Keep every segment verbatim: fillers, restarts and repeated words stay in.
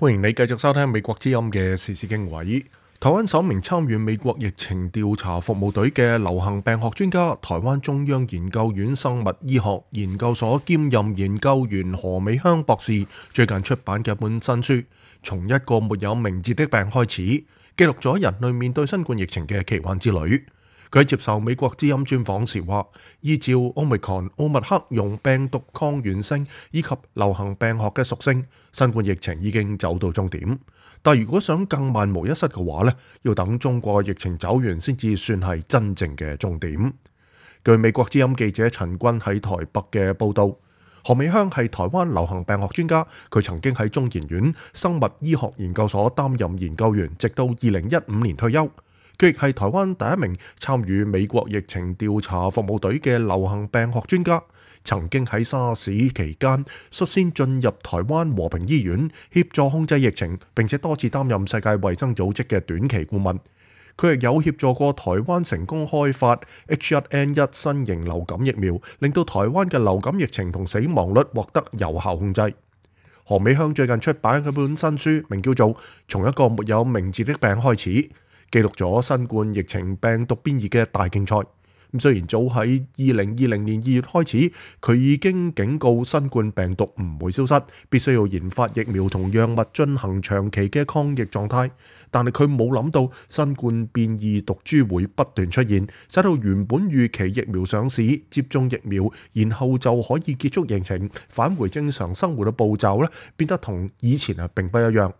歡迎你繼續收聽美國之音嘅時事經緯。台灣首名參與美國疫情調查服務隊嘅流行病學專家、台灣中央研究院生物醫學研究所兼任研究員何美香博士，最近出版嘅一本新書，從一個沒有名字的病開始，記錄咗人類面對新冠疫情嘅奇幻之旅。佢喺接受美國之音專訪時話，依照 Omicron 奧密克戎病毒抗原性以及流行病學嘅屬性，新冠疫情已經走到終點。但如果想更萬無一失嘅話呢，要等中國疫情走完先至算係真正嘅終點。據美國之音記者陳君喺台北嘅報導，何美香係台灣流行病學專家，佢曾經喺中研院生物醫學研究所擔任研究員，直到二零一五年退休。佢亦係台灣第一名參與美國疫情調查服務隊嘅流行病學專家，曾經喺沙士期間率先進入台灣和平醫院協助控制疫情，並且多次擔任世界衛生組織嘅短期顧問。佢亦有協助過台灣成功開發 H 一 N 一 新型流感疫苗，令到台灣嘅流感疫情同死亡率獲得有效控制。何美香最近出版嘅本新書，名叫做《從一個沒有名字的病開始》，記錄咗新冠疫情病毒變異嘅大競賽。咁雖然早喺二零二零年二月開始，佢已經警告新冠病毒唔會消失，必須要研發疫苗同藥物進行長期嘅抗疫狀態。但係佢冇諗到新冠變異毒株會不斷出現，使到原本預期疫苗上市、接種疫苗，然後就可以結束疫情、返回正常生活嘅步驟咧，變得同以前啊並不一樣。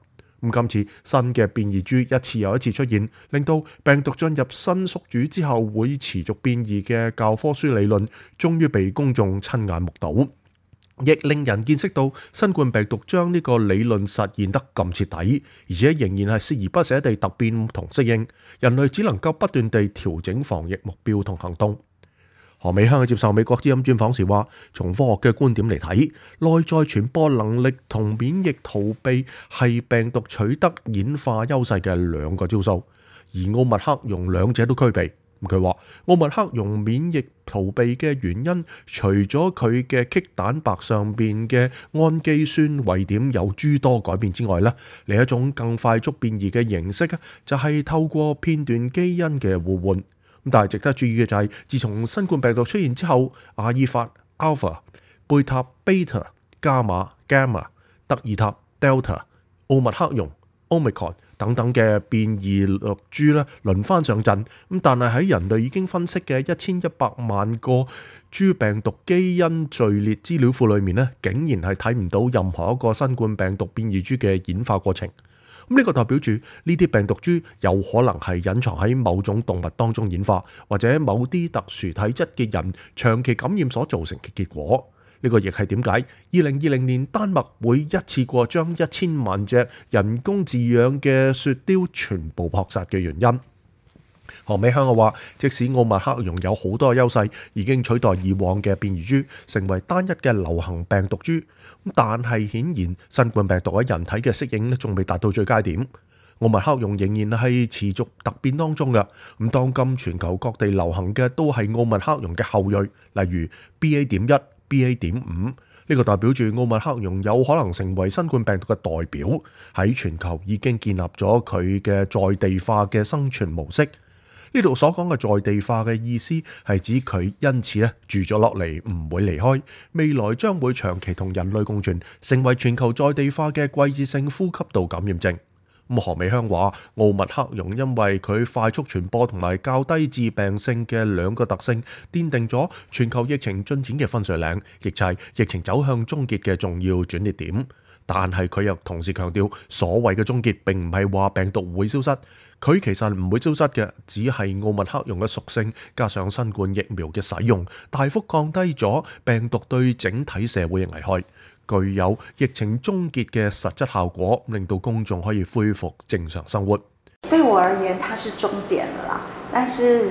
咁今次新嘅變異株一次又一次出現，令到病毒進入新宿主之後會持續變異嘅教科書理論，終於被公眾親眼目睹，亦令人見識到新冠病毒將呢個理論實現得咁徹底，而且仍然係鍥而不捨地突變同適應，人類只能夠不斷地調整防疫目標同行動。何美香接受美國之音專訪時話，從科學嘅觀點嚟睇，內在傳播能力同免疫逃避係病毒取得演化優勢嘅兩個招數，而奧密克戎兩者都具備。佢話奧密克戎免疫逃避嘅原因，除咗佢嘅棘蛋白上邊嘅氨基酸位點有諸多改變之外咧，另一種更快速變異嘅形式就係透過片段基因嘅互換。但係值得注意嘅就係，自從新冠病毒出現之後，阿爾法、Alpha、貝塔、Beta、伽馬、Gamma、德爾塔、Delta、奧密克戎、Omicron 等等嘅變異毒株咧輪番上陣。咁但係喺人類已經分析嘅一千一百萬個豬病毒基因序列資料庫裏面咧，竟然係睇唔到任何一個新冠病毒變異株嘅演化過程。咁呢個代表住呢啲病毒株有可能係隱藏喺某種動物當中演化，或者某啲特殊體質嘅人長期感染所造成嘅結果。呢個亦係點解二零二零年丹麥會一次過將一千萬隻人工飼養嘅雪貂全部撲殺嘅原因。何美香話，即使奧密克戎有好多優勢，已經取代以往嘅變異株，成為單一嘅流行病毒株，但係顯然新冠病毒喺人體嘅適應咧，仲未達到最佳點。奧密克戎仍然係持續突變當中嘅。咁當今全球各地流行嘅都係奧密克戎嘅後裔，例如 B A 點一、B A 點五，呢個代表住奧密克戎有可能成為新冠病毒嘅代表，喺全球已經建立咗佢嘅在地化嘅生存模式。呢度所講嘅在地化嘅意思係指佢因此咧住咗落嚟，唔會離開，未來將會長期同人類共存，成為全球在地化嘅季節性呼吸道感染症。咁何美香話，奧密克戎因為佢快速傳播同埋較低致病性嘅兩個特性，奠定咗全球疫情進展嘅分水嶺，亦就係疫情走向終結嘅重要轉捩點。但係佢又同時強調，所謂嘅終結並唔係話病毒會消失，佢其實唔會消失嘅，只係奧密克戎嘅屬性加上新冠疫苗嘅使用，大幅降低咗病毒對整體社會嘅危害，具有疫情終結嘅實質效果，令到公眾可以恢復正常生活。對我而言，它是終點了啦，但是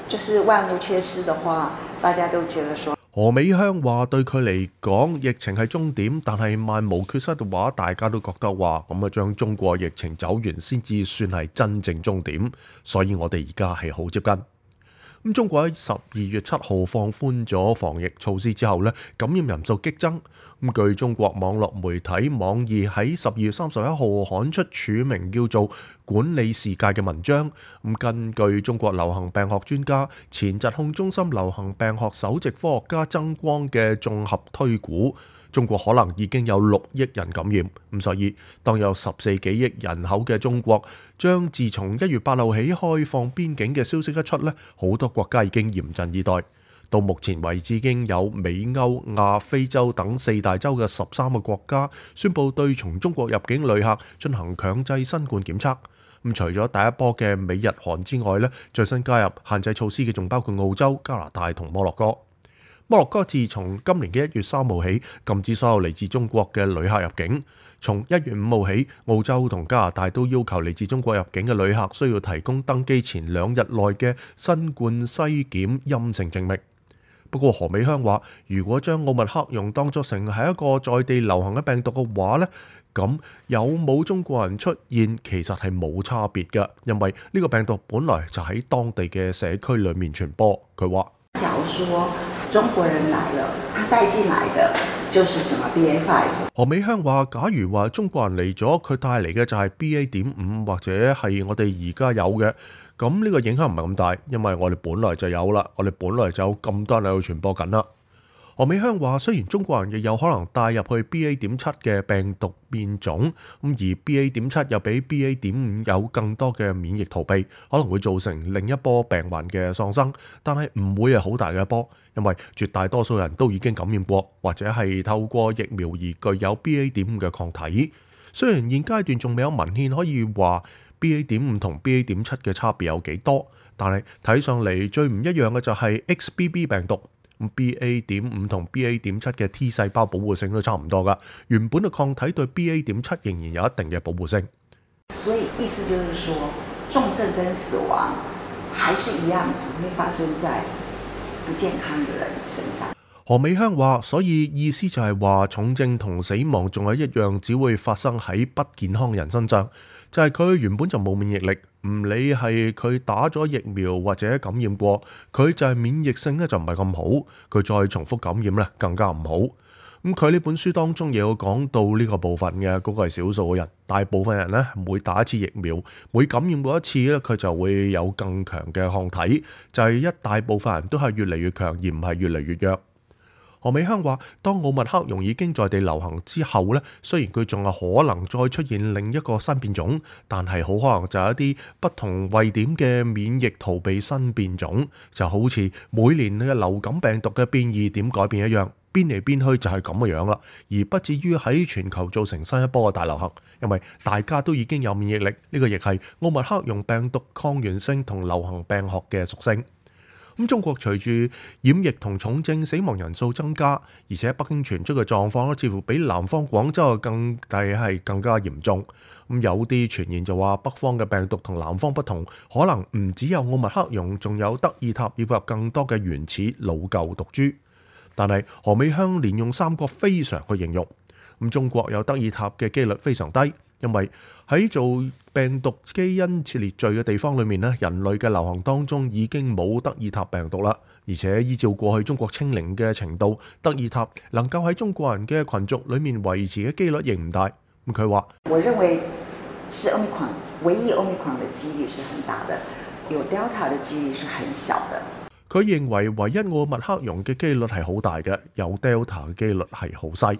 就是萬無缺失的話，大家都覺得說。何美香話對佢嚟講，疫情係終點，但係萬無缺失嘅話，大家都覺得話咁啊，將中國疫情走完先至算係真正終點，所以我哋而家係好接近。咁中國喺十二月七號放寬咗防疫措施之後呢，感染人數激增。咁據中國網絡媒體網易喺十二月三十一號刊出署名叫做《管理世界》嘅文章。咁根據中國流行病學專家、前疾控中心流行病學首席科學家曾光嘅綜合推估，中國可能已經有六億人感染。咁所以當有十四幾億人口嘅中國，將自從一月八號起開放邊境嘅消息一出呢，好多國家已經嚴陣以待。到目前為止，已經有美、歐、亞、非洲等四大洲嘅十三個國家宣布對從中國入境旅客進行強制新冠檢測。咁除咗第一波嘅美日韓之外呢，最新加入限制措施嘅仲包括澳洲、加拿大同摩洛哥。摩洛哥自從今年嘅一月三號起禁止所有嚟自中國嘅旅客入境。從一月五號起，澳洲同加拿大都要求嚟自中國入境嘅旅客需要提供登機前兩日內嘅新冠篩檢陰性證明。不過何美香話，如果將奧密克戎當作成係一個在地流行嘅病毒嘅話呢，咁有冇中國人出現其實係冇差別嘅，因為呢個病毒本來就喺當地嘅社區裏面傳播。佢話：假如說中國人來了，他帶進來的就是什麼 B A 五。何美香話：假如話中國人嚟咗，佢帶嚟嘅就係 B A 點五或者係我哋而家有嘅。咁呢個影響唔係咁大，因為我哋本來就有啦，我哋本來就有咁多人喺度傳播緊啦。何美香話：雖然中國人亦有可能帶入去 B A 點七嘅病毒變種，咁而 B A 點七又比 B A 點五有更多嘅免疫逃避，可能會造成另一波病患嘅喪生，但係唔會係好大嘅一波，因為絕大多數人都已經感染過，或者係透過疫苗而具有 B A 點五嘅抗體。雖然現階段仲未有文獻可以話 B A 點五同 B A 點七嘅差別有幾多，但係睇上嚟最唔一樣嘅就係 X B B 病毒。B A 點五同 B A 點七嘅 T 細胞保護性都差唔多噶，原本嘅抗體對 B A 點七仍然有一定嘅保護性。所以意思就是說，重症跟死亡還是一樣，只會發生在不健康嘅人身上。何美香話：所以意思就係話，重症同死亡仲係一樣，只會發生喺不健康人身上。就係佢原本就冇免疫力，唔理係佢打咗疫苗或者感染過，佢就係免疫性咧就唔係咁好，佢再重複感染咧更加唔好。咁佢呢本書當中亦有講到呢個部分嘅，嗰個係少數嘅人，大部分人咧每打一次疫苗，每感染過一次咧，佢就會有更強嘅抗體，就係一大部分人都係越嚟越強，而唔係越嚟越弱。何美香話：當奧密克戎已經在地流行之後咧，雖然佢仲係可能再出現另一個新變種，但係好可能就係一啲不同位點嘅免疫逃避新變種，就好似每年嘅流感病毒嘅變異點改變一樣，變嚟變去就係咁嘅樣啦，而不至於喺全球造成新一波嘅大流行，因為大家都已經有免疫力，呢個亦係奧密克戎病毒抗原性同流行病學嘅屬性。咁中國隨住染疫同重症死亡人數增加，而且北京傳出嘅狀況咧，似乎比南方廣州嘅更大係更加嚴重。咁有啲傳言就話北方嘅病毒同南方不同，可能唔只有奧密克戎，仲有德爾塔以及更多嘅原始老舊毒株。但係何美香連用三個非常去形容。咁中國有德爾塔嘅機率非常低，因為喺做病毒基因列序嘅地方裏面咧，人類嘅流行當中已經冇德爾塔病毒啦。而且依照過去中國清零嘅程度，德爾塔能夠喺中國人嘅群族裏面維持嘅機率亦唔大。咁佢話：我認為是 Omicron， 唯一 Omicron 嘅機率是很大的，有 Delta 嘅機率是很小的。佢認為唯一奧密克戎嘅機率係好大嘅，有 Delta 嘅機率係好細。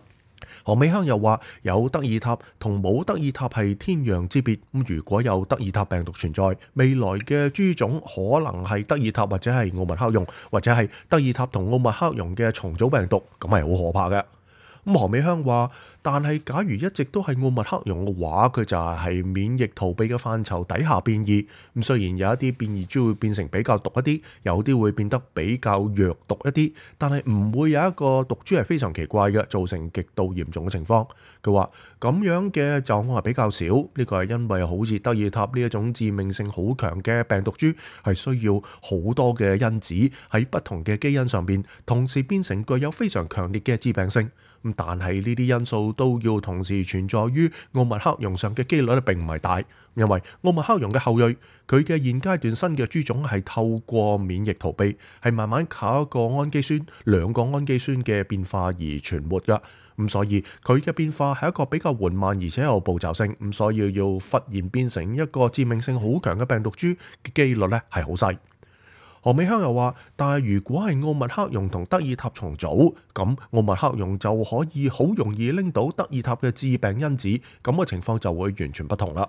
何美香又話：有德爾塔同冇德爾塔係天壤之別。咁如果有德爾塔病毒存在，未來嘅株種可能係德爾塔或者係奧密克戎，或者係德爾塔同奧密克戎嘅重組病毒，咁係好可怕嘅。咁何美香話：但係假如一直都係奧密克戎嘅話，佢就係免疫逃避嘅範疇底下變異。咁雖然有一啲變異株會變成比較毒一啲，有啲會變得比較弱毒一啲，但係唔會有一個毒株係非常奇怪嘅，造成極度嚴重嘅情況。佢話咁樣嘅狀況係比較少，呢個係因為好似德爾塔呢一種致命性好強嘅病毒株，係需要好多嘅因子喺不同嘅基因上邊同時變成具有非常強烈嘅致病性。咁但係呢啲因素都要同時存在於奧密克戎上嘅機率咧並唔係大，因為奧密克戎嘅後裔佢嘅現階段新嘅株種係透過免疫逃避，係慢慢靠一個氨基酸兩個氨基酸嘅變化而存活㗎。咁所以佢嘅變化係一個比較緩慢而且有步驟性，咁所以要忽然變成一個致命性好強嘅病毒株嘅機率咧係好細。何美香又話，但係如果係奧密克戎同德爾塔重組，咁奧密克戎就可以好容易拎到德爾塔嘅致病因子，咁嘅情況就會完全不同啦。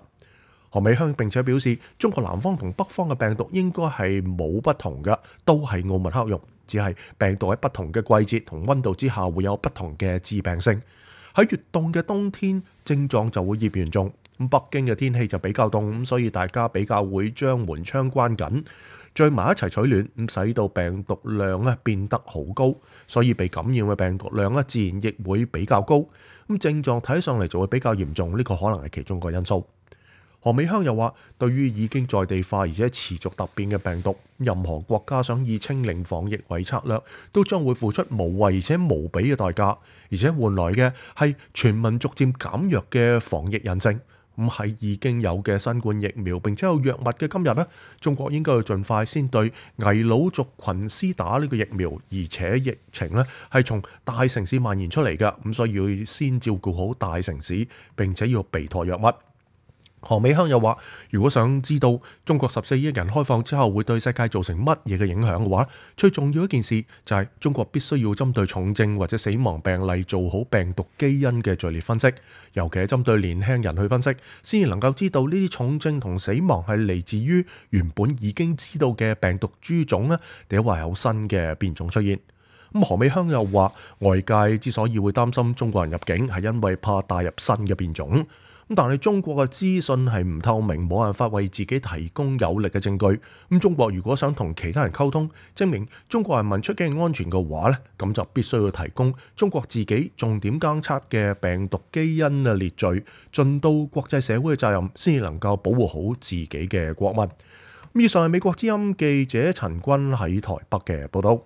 何美香並且表示，中國南方同北方嘅病毒應該係冇不同嘅，都係奧密克戎，只係病毒喺不同嘅季節同溫度之下會有不同嘅致病性。喺越凍嘅冬天，症狀就會越嚴重。咁北京嘅天氣就比較凍，咁所以大家比較會將門窗關緊，聚埋一齊取暖，咁使到病毒量咧變得好高，所以被感染嘅病毒量咧自然亦會比較高。咁症狀睇上嚟就會比較嚴重，呢個可能係其中一個因素。何美香又話，對於已經在地化而且持續突變嘅病毒，任何國家想以清零防疫為策略，都將會付出無謂而且無比嘅代價，而且換來嘅係全民逐漸減弱嘅防疫韌性。咁喺已經有嘅新冠疫苗並且有藥物嘅今日呢，中國應該要盡快先對危老族群施打呢個疫苗，而且疫情呢係從大城市蔓延出嚟嘅，咁所以要先照顧好大城市，並且要備妥藥物。何美香又話，如果想知道中國十四億人開放之後會對世界造成乜嘢嘅影響嘅話，最重要一件事就係中國必須要針對重症或者死亡病例做好病毒基因嘅序列分析，尤其係針對年輕人去分析，先至能夠知道呢啲重症同死亡係嚟自於原本已經知道嘅病毒株種呢，定係話有新嘅變種出現。咁何美香又話，外界之所以會擔心中國人入境，係因為怕帶入新嘅變種。咁但係中國嘅資訊係唔透明，冇辦法為自己提供有力嘅證據。咁中國如果想同其他人溝通，證明中國人民出境安全嘅話咧，咁就必須要提供中國自己重點監測嘅病毒基因嘅列序，盡到國際社會嘅責任，先至能夠保護好自己嘅國民。以上係美國之音記者陳君喺台北嘅報道。